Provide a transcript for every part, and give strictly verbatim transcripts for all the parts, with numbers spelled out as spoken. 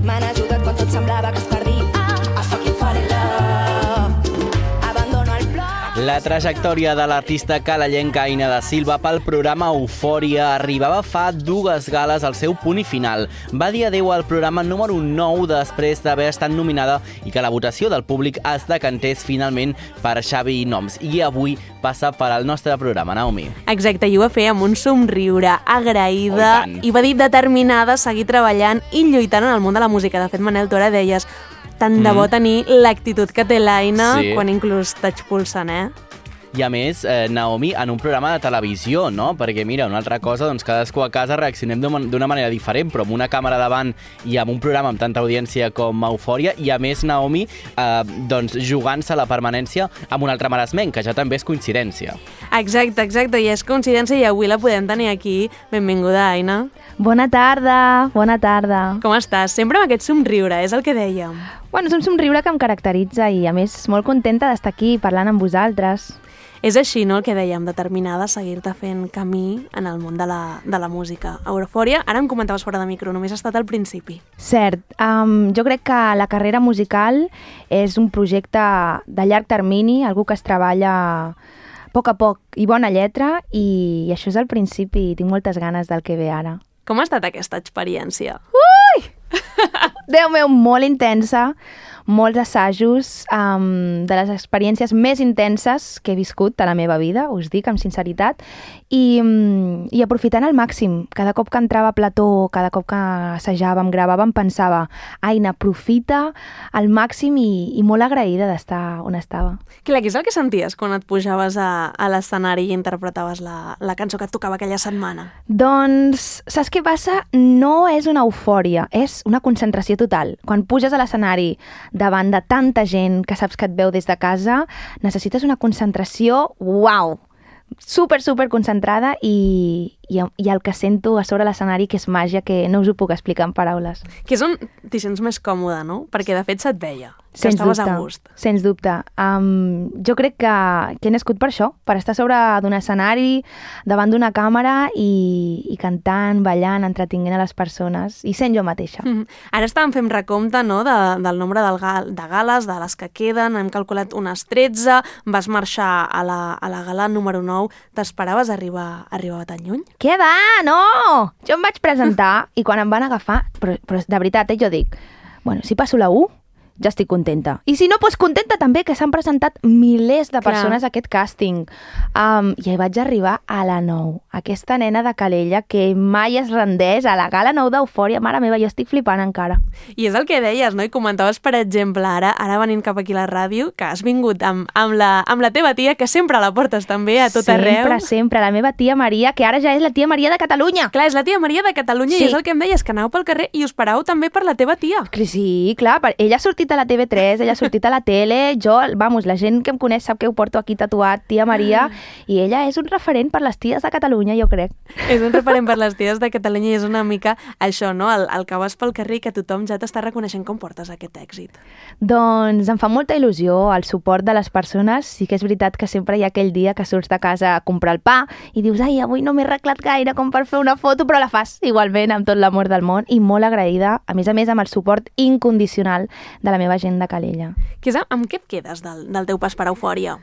m'han ajudat quan tot semblava que es perdia. I fucking fall in love. Abandono el plor. La trajectòria de l'artista calellenca Aina da Silva pel programa Eufòria arribava fa dues gales al seu punt i final. Va dir adeu al programa número nou després d'haver estat nominada i que la votació del públic es decantés finalment per Xavi Noms. I avui passa per al nostre programa, Naomi. Exacte, i ho va fer amb un somriure, agraïda, oh, i va dir determinada a seguir treballant i lluitant en el món de la música. De fet, Manel, tu ara deies, tant de bo tenir l'actitud que té l'Aina sí. quan inclús t'expulsen, eh? I a més, eh, Naomi, en un programa de televisió, no? Perquè mira, una altra cosa, doncs cadascú a casa reaccionem d'una manera diferent, però amb una càmera davant i amb un programa amb tanta audiència com Eufòria, i a més, Naomi, eh, doncs jugant-se la permanència amb un altre maresmenc, que ja també és coincidència. Exacte, exacte, i és coincidència i avui la podem tenir aquí. Benvinguda, Aina. Bona tarda, bona tarda. Com estàs? Sempre amb aquest somriure, és el que dèiem. Bueno, és un somriure que em caracteritza i, a més, molt contenta d'estar aquí parlant amb vosaltres. És així, no?, el que dèiem, determinada a seguir-te fent camí en el món de la, de la música. Eufòria, ara em comentaves fora de micro, només ha estat al principi. Cert. Um, jo crec que la carrera musical és un projecte de llarg termini, algú que es treballa a poc a poc i bona lletra, i, i això és el principi i tinc moltes ganes del que ve ara. Com ha estat aquesta experiència? Ui! Déu meu, molt intensa, molts assajos, um, de les experiències més intenses que he viscut a la meva vida, us dic amb sinceritat, i, um, i aprofitant al màxim. Cada cop que entrava a plató, cada cop que assajàvem, gravàvem, pensava, Aina, aprofita al màxim i, i molt agraïda d'estar on estava. Clar, què és el que senties quan et pujaves a, a l'escenari i interpretaves la, la cançó que et tocava aquella setmana? Doncs, saps què passa? No és una eufòria, és una concentració total. Quan puges a l'escenari davant de tanta gent que saps que et veu des de casa, necessites una concentració, uau, super, super concentrada i, i, i el que sento a sobre l'escenari, que és màgia, que no us ho puc explicar en paraules. Que és on t'hi sents més còmode, no? Perquè de fet se't veia, que sens estaves dubte, a gust. Sens dubte. Um, jo crec que, que he nascut per això, per estar sobre d'un escenari, davant d'una càmera i, i cantant, ballant, entretinguent a les persones i sent jo mateixa. Mm-hmm. Ara estàvem fent recompte, no?, de, del nombre del gal, de gales, de les que queden, hem calculat unes tretze, vas marxar a la, a la gala número nou. T'esperaves arribar, arribar tan lluny? Què va? No! Jo em vaig presentar i quan em van agafar, però, però de veritat, eh, jo dic, bueno, si passo la U, ja estic contenta. I si no, doncs contenta també, que s'han presentat milers de persones Clar. a aquest càsting. Um, I vaig arribar a la nou. Aquesta nena de Calella que mai es rendeix a la gala nou d'Eufòria. Mare meva, jo estic flipant encara. I és el que deies, no? I comentaves, per exemple, ara ara venint cap aquí a la ràdio, que has vingut amb, amb, la, amb la teva tia, que sempre la portes també a tot sempre, arreu. Sempre, sempre. La meva tia Maria, que ara ja és la tia Maria de Catalunya. Clar, és la tia Maria de Catalunya sí. I és el que em deies, que aneu pel carrer i us parau també per la teva tia. Sí, clar. Ella ha sortit a la T V tres, ella ha sortit a la tele, jo, vamos, la gent que em coneix sap que ho porto aquí tatuat, tia Maria, i ella és un referent per les ties de Catalunya, jo crec. És un referent per les ties de Catalunya i és una mica això, no?, el, el que vas pel carrer i que tothom ja t'està reconeixent com portes aquest èxit. Doncs em fa molta il·lusió el suport de les persones. Sí que és veritat que sempre hi ha aquell dia que surts de casa a comprar el pa i dius, ai, avui no m'he arreglat gaire com per fer una foto, però la fas igualment amb tot l'amor del món i molt agraïda, a més a més amb el suport incondicional de la meva gent de Calella. Que és, amb què et quedes del, del teu pas per Eufòria?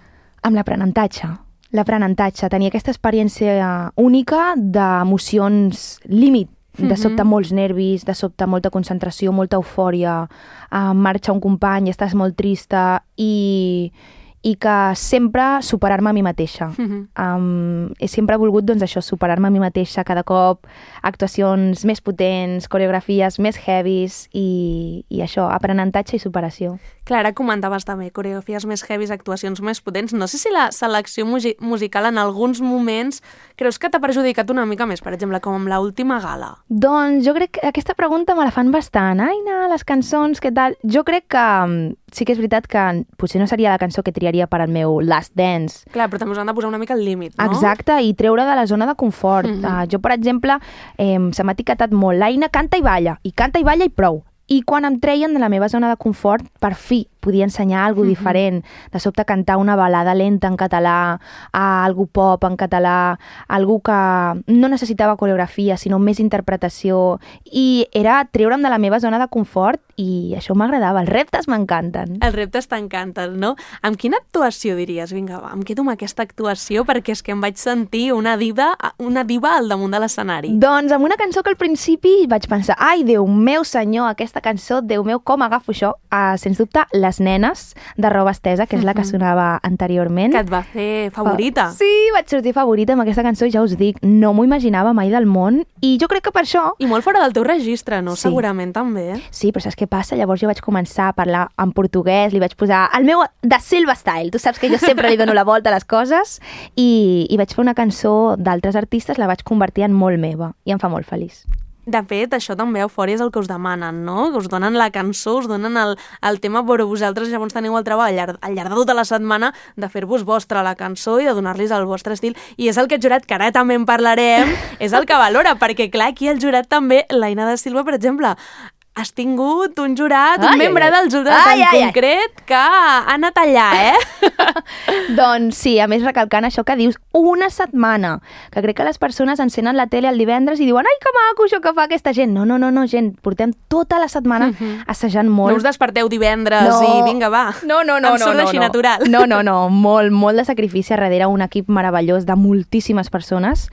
Amb l'aprenentatge. L'aprenentatge, tenir aquesta experiència única d'emocions límit, de sobte molts nervis, de sobte molta concentració, molta eufòria, uh, marxa un company i estàs molt trista i, i que sempre superar-me a mi mateixa. Uh-huh. Um, he sempre volgut, doncs, això, superar-me a mi mateixa cada cop, actuacions més potents, coreografies més heavies i, i això, aprenentatge i superació. Clar, ara comentaves també coreografies més heavies, actuacions més potents. No sé si la selecció musi- musical en alguns moments creus que t'ha perjudicat una mica més, per exemple, com amb l'última gala? Doncs jo crec que aquesta pregunta me la fan bastant. Aina, les cançons, què tal? Jo crec que sí que és veritat que potser no seria la cançó que triaria per al meu Last Dance. Clar, però també us han de posar una mica el límit, no? Exacte, i treure de la zona de confort. Mm-hmm. Uh, jo, per exemple, eh, se m'ha etiquetat molt. L'Aina canta i balla, i canta i balla i prou. i quan em treien de la meva zona de confort, per fi podia ensenyar alguna cosa diferent. De sobte cantar una balada lenta en català, a algú pop en català, algú que no necessitava coreografia, sinó més interpretació. I era treure'm de la meva zona de confort i això m'agradava. Els reptes m'encanten. Els reptes t'encanten, no? Amb quina actuació diries? Vinga, va, em quedo amb aquesta actuació perquè és que em vaig sentir una diva, una diva al damunt de l'escenari. Doncs amb una cançó que al principi vaig pensar, ai, Déu meu senyor, aquesta cançó, Déu meu, com agafo això? Uh, sens dubte, Les nenes, de Roba Estesa, que és la que sonava anteriorment. Que et va fer favorita. Sí, vaig sortir favorita amb aquesta cançó, ja us dic, no m'ho imaginava mai del món, i jo crec que per això... I molt fora del teu registre, no? Sí. Segurament també. Sí, però saps què passa? Llavors jo vaig començar a parlar en portuguès, li vaig posar el meu de Silva Style, tu saps que jo sempre li dono la volta a les coses, i, i vaig fer una cançó d'altres artistes, la vaig convertir en molt meva, i em fa molt feliç. De fet, això també a Eufòria és el que us demanen, no? Que us donen la cançó, us donen el, el tema, però vosaltres llavors teniu el treball al llarg, al llarg de tota la setmana de fer-vos vostra la cançó i de donar-los el vostre estil. I és el que el jurat, que ara també en parlarem, és el que valora, perquè clar, aquí el jurat també, l'Aina da Silva, per exemple, has tingut un jurat, un ai, membre ai, ai. del jurat ai, en ai, concret ai. que ha anat allà, eh? Doncs sí, a més recalcant això que dius, una setmana, que crec que les persones encenen la tele el divendres i diuen, ai, que maco això que fa aquesta gent. No, no, no, no gent, portem tota la setmana uh-huh. assajant molt. No us desperteu divendres no. i vinga, va, no, no, no, em surt no, no, així no. natural. No, no, no, molt, molt de sacrifici darrere un equip meravellós de moltíssimes persones.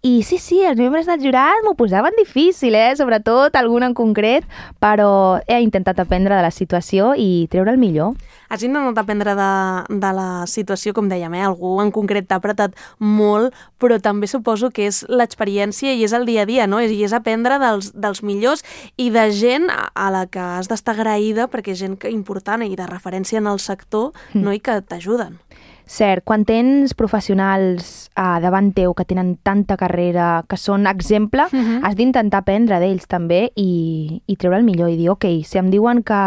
I sí, sí, els membres del jurat m'ho posaven difícil, eh? Sobretot algun en concret, però he intentat aprendre de la situació i treure el millor. Has intentat aprendre de, de la situació, com dèiem, eh? Algú en concret t'ha apretat molt, però també suposo que és l'experiència i és el dia a dia, no? I és aprendre dels, dels millors i de gent a la que has d'estar agraïda perquè és gent important i de referència en el sector, mm. no? I que t'ajuden. Cert, quan tens professionals uh, davant teu que tenen tanta carrera, que són exemple, uh-huh. has d'intentar aprendre d'ells també i, i treure el millor i dir, ok, si em diuen que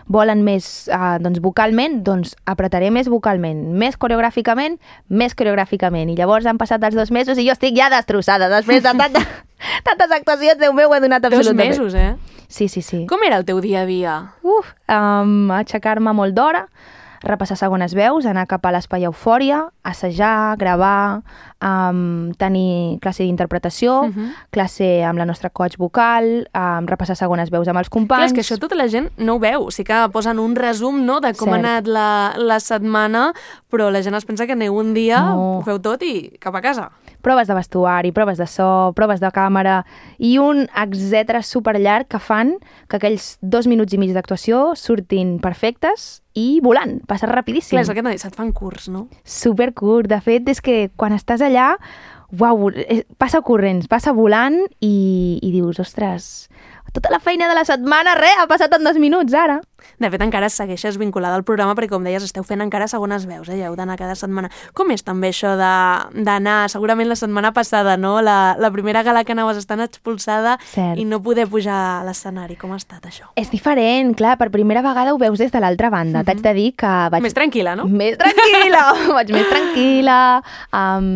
volen més uh, doncs vocalment, doncs apretaré més vocalment, més coreogràficament, més coreogràficament. I llavors han passat els dos mesos i jo estic ja destrossada després de tanta, tantes actuacions, Déu meu, ho he donat absolutament. Dos mesos, eh? Sí, sí, sí. Com era el teu dia a dia? Uf, um, aixecar-me molt d'hora, repassar segones veus, anar cap a l'espai Eufòria, assajar, gravar, um, tenir classe d'interpretació, uh-huh. classe amb la nostra coach vocal, um, repassar segones veus amb els companys... Clar, és que això tota la gent no ho veu. Sí que posen un resum, no?, de com Cert. ha anat la, la setmana, però la gent es pensa que aneu un dia, no. ho feu tot i cap a casa. Proves de vestuari, proves de so, proves de càmera i un etcètera superllarg que fan que aquells dos minuts i mig d'actuació surtin perfectes i volant, passa rapidíssim. Clar, és el que t'he dit, se't fan curts, no? Supercurt. De fet, és que quan estàs allà, uau, passa corrents, passa volant i, i dius, ostres, tota la feina de la setmana, res, ha passat en dos minuts ara. De fet, encara segueixes vinculada al programa perquè, com deies, esteu fent encara segones veus, eh? Heu d'anar cada setmana. Com és també això d'anar, segurament la setmana passada, no? La, la primera gala que anaves estant expulsada Cert. i no poder pujar a l'escenari. Com ha estat això? És diferent, clar, per primera vegada ho veus des de l'altra banda. Uh-huh. T'haig de dir que vaig... Més tranquil·la, no? Més tranquil·la! Vaig més tranquil·la, um,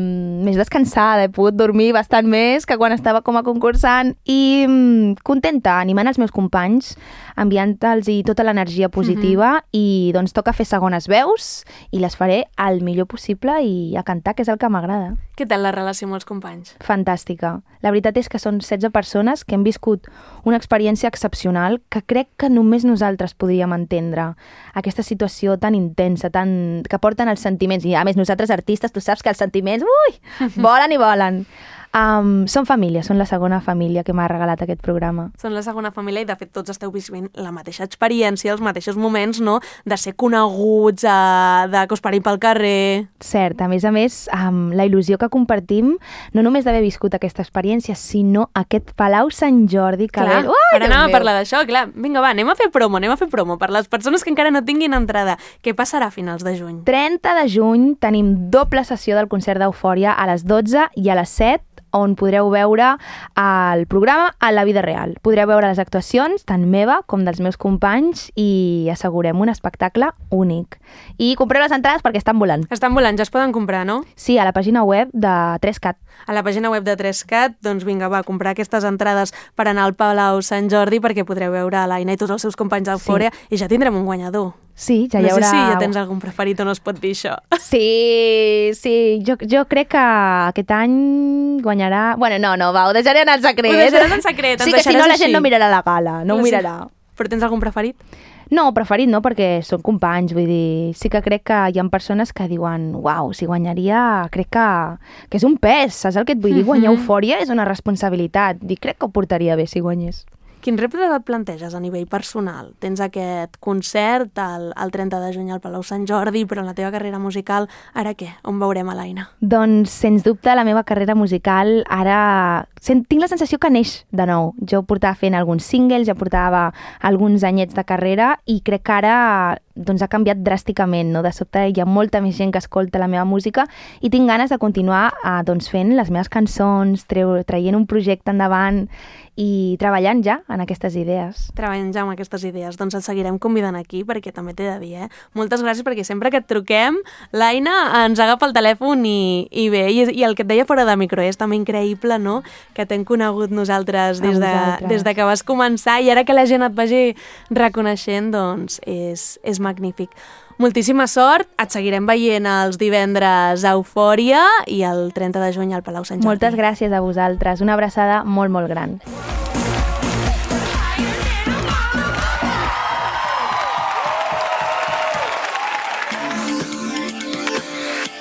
més descansada, he pogut dormir bastant més que quan estava com a concursant i um, contenta, animant els meus companys, enviant-los i tota l'energia positiva uh-huh. i doncs toca fer segones veus i les faré el millor possible i a cantar, que és el que m'agrada. Què tal la relació amb els companys? Fantàstica. La veritat és que són setze persones que hem viscut una experiència excepcional que crec que només nosaltres podríem entendre. Aquesta situació tan intensa, tan... que porten els sentiments. I a més nosaltres artistes, tu saps que els sentiments, ui, volen i volen. Um, són família, són la segona família que m'ha regalat aquest programa. Són la segona família i de fet tots esteu vivint la mateixa experiència, els mateixos moments, no?, de ser coneguts, uh, de que us parin pel carrer... Cert, a més a més, um, la il·lusió que compartim, no només d'haver viscut aquesta experiència, sinó aquest Palau Sant Jordi que... Clar, ve... Ui, ara anem a parlar d'això, clar, vinga va, anem a fer promo, anem a fer promo per les persones que encara no tinguin entrada. Què passarà a finals de juny? trenta de juny tenim doble sessió del concert d'Eufòria a les dotze i a les set on podreu veure el programa a la vida real. Podreu veure les actuacions, tant meva com dels meus companys, i assegurem un espectacle únic. I compreu les entrades perquè estan volant. Estan volant, ja es poden comprar, no? Sí, a la pàgina web de tres cat. A la pàgina web de tres cat, doncs vinga, va, comprar aquestes entrades per anar al Palau Sant Jordi perquè podreu veure l'Aina i tots els seus companys d'Eufòria, sí. I ja tindrem un guanyador. Sí, ja no hi haurà... No sé si ja tens algun preferit o no es pot dir això. Sí, sí, jo, jo crec que aquest any guanyarà... Bueno, no, no, va, ho deixaré anar en secret. Ho deixaràs en secret, sí, que si no la gent no mirarà la gala, no ho mirarà. Però tens algun preferit? No, preferit no, perquè són companys, vull dir, sí que crec que hi ha persones que diuen uau, si guanyaria, crec que, que és un pes, saps el que et vull dir? Guanyar Eufòria és una responsabilitat, dic, crec que ho portaria bé si guanyés. Quin repte et planteges a nivell personal? Tens aquest concert el, el trenta de juny al Palau Sant Jordi, però en la teva carrera musical, ara què? On veurem a l'Aina? Doncs, sens dubte, la meva carrera musical ara... Tinc la sensació que neix de nou. Jo portava fent alguns singles, ja portava alguns anyets de carrera i crec que ara doncs, ha canviat dràsticament, no? De sobte hi ha molta més gent que escolta la meva música i tinc ganes de continuar eh, doncs, fent les meves cançons, treu, traient un projecte endavant i treballant ja en aquestes idees. Treballant ja en aquestes idees. Doncs et seguirem convidant aquí, perquè també t'he de dir, eh? Moltes gràcies, perquè sempre que et truquem, l'Aina ens agafa el telèfon i, i bé, i, i el que et deia fora de micro és també increïble, no?, que t'hem conegut nosaltres des de, des de que vas començar i ara que la gent et vagi reconeixent, doncs és, és magnífic. Moltíssima sort, et seguirem veient els divendres a Eufòria i el trenta de juny al Palau Sant Jordi. Moltes gràcies a vosaltres, una abraçada molt, molt gran.